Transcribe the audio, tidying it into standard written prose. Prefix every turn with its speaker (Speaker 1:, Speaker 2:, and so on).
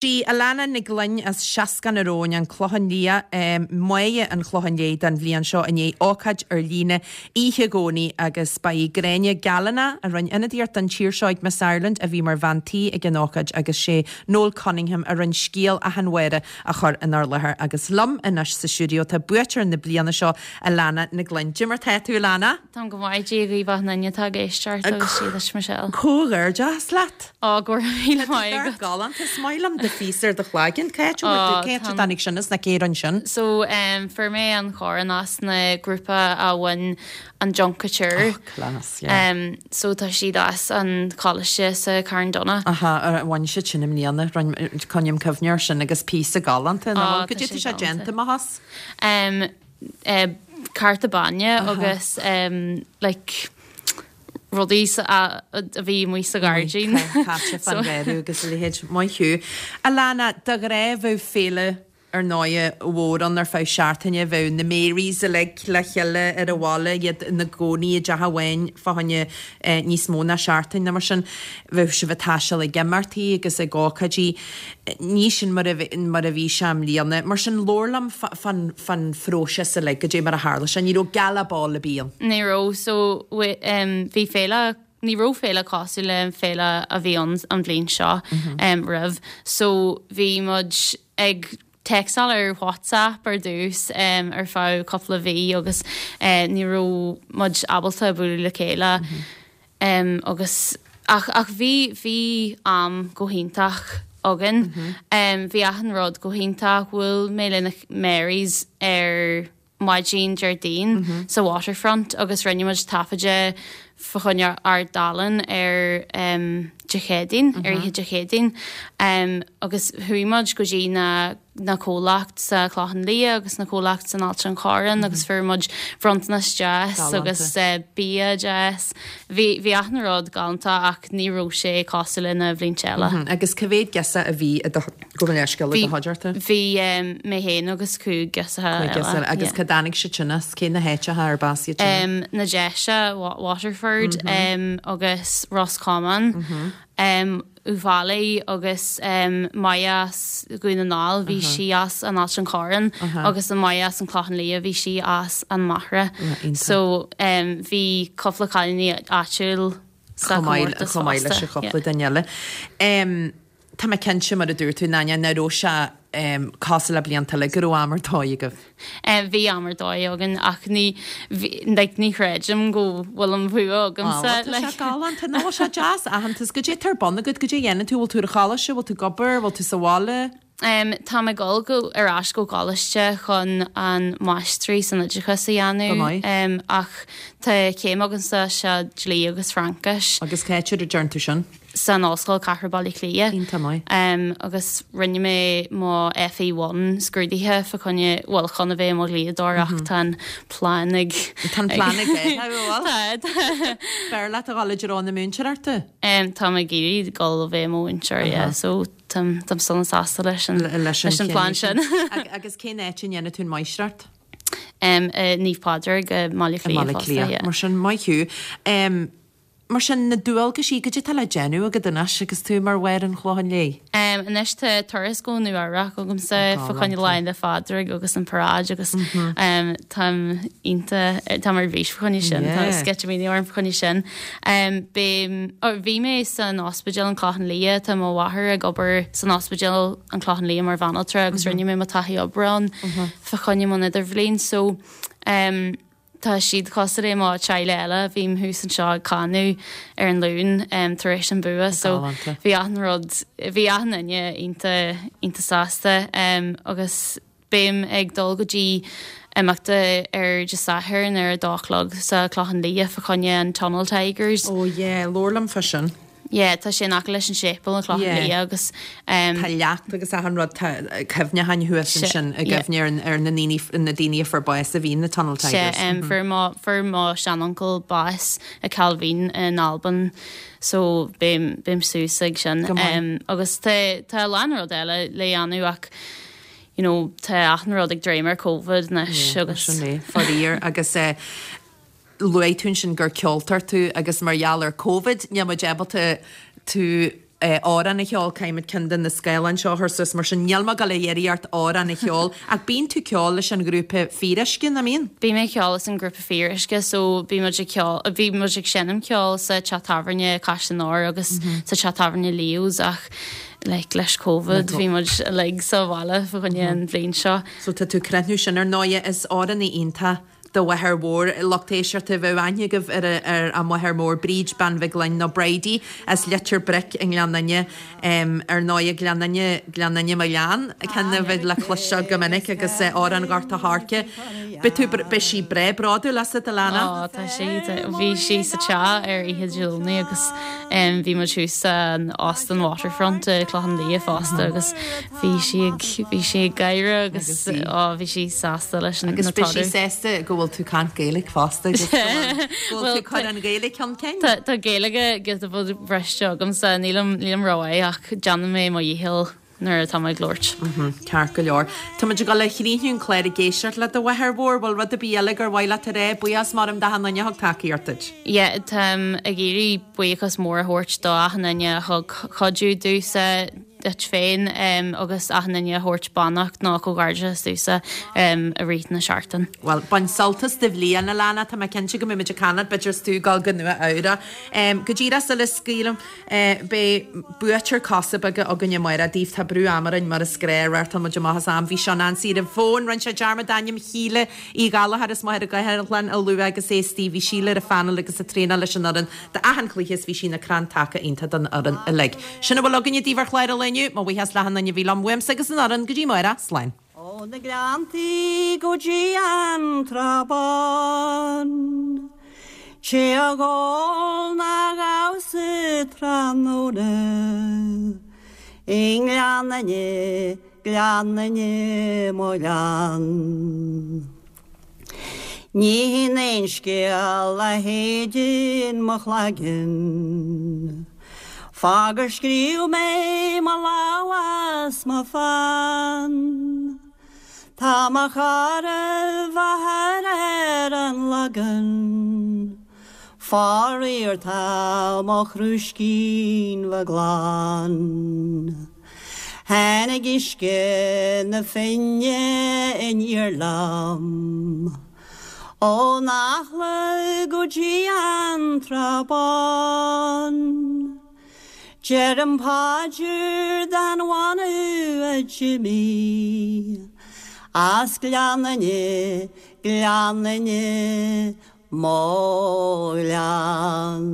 Speaker 1: Sí Alana Nic Gloinn as Seascann an Róin, An Clochán Liath, Máire an Chlocháin Léith don bhliain seo i ndiaidh ócáid ar líne oíche Dhomhnaigh agus ba í Gráinne Gallanagh a rinne ionadaíocht don tír seo ag Miss Ireland a bhí mar bhean tí ag an ócáid agus sé Noel Cunningham a rinne scéal Achadh an Bháire a chur inár láthair agus liom anois sa stiúideo tá buaiteoir na bliana seo Alana Nic Gloinn. Cad é mar tá tú Alana?
Speaker 2: Táim go maith, Dia dhaoibh achan duine atá ag éisteacht agus Dia duit Michelle.
Speaker 1: Comhghairdeas leat!
Speaker 2: Ó, go raibh míle maith agat.
Speaker 1: Tá galánta, is maith liom do phíosa ar do chlaigeann. Cá háit a bhfuair tú, cá háit a dtáinig sin as ná cé a rinne sin?
Speaker 2: So, fuair mé an chorn as na grúpa a bhain an Junk Kouture.
Speaker 1: Oh, class, yeah.
Speaker 2: So tá siad as an choláiste sa Carn Donncha.
Speaker 1: Aha, bhain siad sin i mbliana, coinním cuimhne air sin agus píosa galánta, nach bhfuil?
Speaker 2: Ó,
Speaker 1: Cad
Speaker 2: tá
Speaker 1: é
Speaker 2: sé
Speaker 1: tá sé
Speaker 2: galánta.
Speaker 1: déanta amach as?
Speaker 2: Cárta bainne agus like rudaí a bhí amuigh sa ghairdín.
Speaker 1: Caite fán gharradh agus a leithéid. Maith thú. Alana, de ghnáth bheadh féile ar ndóighe mhór ann ar feadh seachtaine, bheadh na Marys uilig le chéile ar an bhaile, iad ina gcónaí i dteach amháin fá choinne níos mó ná seachtain nó mar sin. Bheadh sibh ag taisteal ag imeachtaí agus ag ócáidí. Ní sin mar a mar a bhí sé i mbliana. Mar sin, labhair liom fán fán phróiseas uilig, goidé mar a tharla sé. Ní raibh gala ball ar bith ann.
Speaker 2: Ní raibh. So, bhí féile, ní raibh féile cosúil le an féile a bhí ann an bhliain seo roimh. So, bhí muid ag téacsáil ar WhatsApp ar dtús ar feadh cúpla mhí agus ní raibh muid ábalta bualadh le chéile. Agus, ach, ach bhí, bhí am go hiontach againn. Bhí achan rud go hiontach. Bhuail mé le na Marys ar maidin Déardaoin sa Waterfront agus rinne muid taifeadadh fá choinne Ard Álainn ar Dé Céadaoin, ar oíche Dé Céadaoin. Agus chuaigh muid go dtí na na comhlacht sa Chlochán Liath agus na comhlacht san Ailt an Chorráin agus fuair muid bronntanas deas agus bia deas. Bhí bhí achan rud galánta ach ní raibh sé cosúil le na bhlianta eile.
Speaker 1: Agus cá mhéad girseach a bhí i do gabh mo leithscéal i do chuideachta?
Speaker 2: Bhí mé féin agus 5 girseacha eile. 5
Speaker 1: girseach eile. Agus cá dtáinig siad sin as? Cé na háiteacha arb as iad
Speaker 2: sin? Na Déise, Waterford agus Ros Comáin. Uíbh Fhailí agus Máire as Dhún na nGall, bhí sí as an Ailt an Chorráin agus an Máire as an Clochán Liath, bhí sí as an Machaire. So bhí cúpla cailíní áitiúil sa chomórtas fosta.
Speaker 1: Chomh maith leis an chúpla duine eile. Tá mé cinnte, mar a dúirt tú, nach raibh sé cosúil le blianta eile, go raibh am ar dóigh agaibh.
Speaker 2: Bhí am ar dóigh againn ach ní, like, ní chreidim go bhfuil an bhua agamsa.
Speaker 1: Á, tá sé galánta, nó bhfuil sé deas aitheantas. Goidé atá ar bun agat, goidé a dhéanann tú, bhfuil tú ar an choláiste, bhfuil tú ag obair, bhfuil tú sa bhaile?
Speaker 2: Táim ag dul go, ar ais go coláiste chun an máistrí san oideachas a dhéanamh ach tá céim agamsa sa dlí agus Fraincis.
Speaker 1: Agus cá háit a dtearn tú sin?
Speaker 2: san Ollscoil Cathrach Baile Átha Cliath.
Speaker 1: Iontach maith.
Speaker 2: Agus rinne mé mo FE1 scrúdaithe fá choinne, bhuel, chun a bheith i mo dhlíodóir ach tá an plean ag.
Speaker 1: Tá an plean ag athrú, an bhfuil?
Speaker 2: Tá, tá.
Speaker 1: B'fhearr leat a dhul i dtreo na múinteoireachta?
Speaker 2: Táim ag iarraidh dul a bheith i mo mhúinteoir, yeah, so táim, táim sona sásta leis an, leis an plean sin.
Speaker 1: Agus cén áit a ndéanann tú an máistreacht?
Speaker 2: I Naomh Pádraig i mBaile Átha
Speaker 1: Cliath. I mBaile Átha Cliath,
Speaker 2: yeah.
Speaker 1: Mar sin, maith thú. Mar sin, na dualgaisí, goidé atá le déanamh agat anois agus tú mar Mháire an Chlocháin Léith?
Speaker 2: Anois tá turas go Nua Eabhrac agamsa fá choinne Lá Fhéile Phádraig agus an paráid agus táim iontach, táim ar bís fá choinne sin, tá sceitimíní orm fá choinne sin. Beidh, bhí mé san ospidéal an Clochán Liath, tá mo mháthair ag obair san ospidéal an Clochán Liath mar bhanaltra agus rinne mé mo taithí oibre ann fá choinne mo idirbhliain so Tá siad cosúil le mo teaghlach eile, bhím thuas anseo ag canadh ar an Luan tar éis an bua so bhí achan rud, bhí achan duine iontach, iontach sásta agus beim ag dul go dtí imeachta ar Dé Sathairn ar a dó a chlog sa Clochán Liath fá choinne an Tunnel Tigers.
Speaker 1: Oh yeah, labhair liom fá sin.
Speaker 2: Yeah, tá sé in aice leis an séipéal an Clochán
Speaker 1: Yeah.
Speaker 2: Liath agus ehm.
Speaker 1: Tá leacht agus achan rud, tá cuimhneacháin thuas
Speaker 2: Sea,
Speaker 1: ansin i
Speaker 2: yeah.
Speaker 1: gcuimhne ar an, ar na ndaoine, na daoine a fuair bás a bhí in na Tunnel
Speaker 2: Sea,
Speaker 1: Tigers.
Speaker 2: ehm, fuair mo, fuair mo seanuncail bás i Cailvín in Albain so beim, beim suas ag sin.
Speaker 1: Go maith.
Speaker 2: Ehm, agus tá, tá a lán rud eile le dhéanamh ach you know, tá achan rud ag dréim ar Covid anois
Speaker 1: Yeah,
Speaker 2: agus.
Speaker 1: sin é, faraor agus eh, Luaigh tú ansin gur ceoltóir tú agus mar gheall ar Covid níl muid ábalta tú. amhrán a cheol, caithfimid ceann de na scáileáin seo a chur suas, mar sin níl mé ag dul a iarraidh ort amhrán a cheol, ach bíonn tú ag ceol leis an ghrúpa Fíoruisce, nach mbíonn?
Speaker 2: Bím ag ceol leis an ngrúpa Fíoruisce so bhí muid ag ceol, bhí muid ag seinm ceoil sa teach tábhairne Caisleán Óir agus sa teach tábhairne Leo's ach like leis Covid bhí muid uilig sa bhaile fá choinne an bhliain seo.
Speaker 1: So tá tú ag críochnú sin ar ndóighe, is amhránaí iontach do mháthair mhór, lucht éisteachta, bheadh aithne agaibh ar a máthair mhór, Bríd Bean Mhig Fhloinn nó Bridie as Leitir Bric i nGleann Fhinne. Ar ndóighe, Gleann Fhinne, Gleann Fhinne mo ghleann, ceann a bheidh le cloisteáil go minic agus amhrán Ghort a' Choirce. Beidh tú, beidh sí breá bródúil asat, Alana.
Speaker 2: Ó, tá sí, bhí sí sa teach ar oíche Dé Domhnaigh agus bhí muid thuas san Óstán Waterfront i Clochán Liath fosta agus Bhí sí ag, bhí sí ag gáire agus á bhí sí sásta leis an
Speaker 1: Agus beidh sí sásta go bhfuil tú ag caint Gaeilge fosta agus go bhfuil, go bhfuil tú ag cur an Ghaeilge chun cinn.
Speaker 2: Tá, tá Gaeilge giota beag briste agamsa, nílim, nílim rómhaith ach déanfaidh mé mo dhícheall nuair atá mé ag labhairt.
Speaker 1: Ceart go leor. Tá muid ag dul a chríochnú an clár ag éisteacht le do mháthair mhór. Bhfuil rud ar bith eile gur mhaith leat a rá? Buíochas mór agam d'achan duine a thug tacaíocht duit.
Speaker 2: Yeah, táim ag iarraidh buíochas mór a thabhairt do achan duine a thug cuidiú domhsa, duit féin agus achan duine a thabhairt beannacht nó comhghairdeachas domhsa i rith na seachtaine.
Speaker 1: Bhuel, bain sult as do bhliain, Alana, tá mé cinnte go mbeidh muid ag caint leat, b'fhéidir is tú ag dul go Nua Eabhrac. Go díreach sula scaoilim, beidh buaiteoir Cosa Beaga againn amárach daoibh, tá brú ama orainn mar is gnáth, reáchtáil muid amach as am, bhí Seán Ansaí ar an bhfón, rinne sé dearmad ainm Shíle Uí Ghallchóir as Machaire Gathlán a lua agus é istigh, bhí Síle ar an phainéal agus ag traenáil leis an fhoireann d'achan chluiche is bhí sí ina crann taca iontach don fhoireann uilig. Sin a bhfuil againne daoibh ar chlár an lae inniu. Mo bhuíochas le achan duine a bhí liom, uaimse agus an fhoireann, go dtí amárach. Slán.
Speaker 3: Ó na Gleanntaí go dtí an Trá Bhán, Té a dh'ól ná dhamhsa tráthnóna I nGleann Fhinne, Gleann Fhinne, mo ghleann. Ní hin aon scéal a shéideann mo chloigeann Fá gur scríobh mé mo lámh as mo pheann Tá mo chara mháthair ar an Lagan Faraor tá mo chrúiscín bheag glan. Tháinig uisce na Finne aniar liom ón Eachla go dtí an Trá Bhán. Deirim paidir don bhanbh a d'imigh as Gleann Fhinne, Gleann Fhinne, mo ghleann.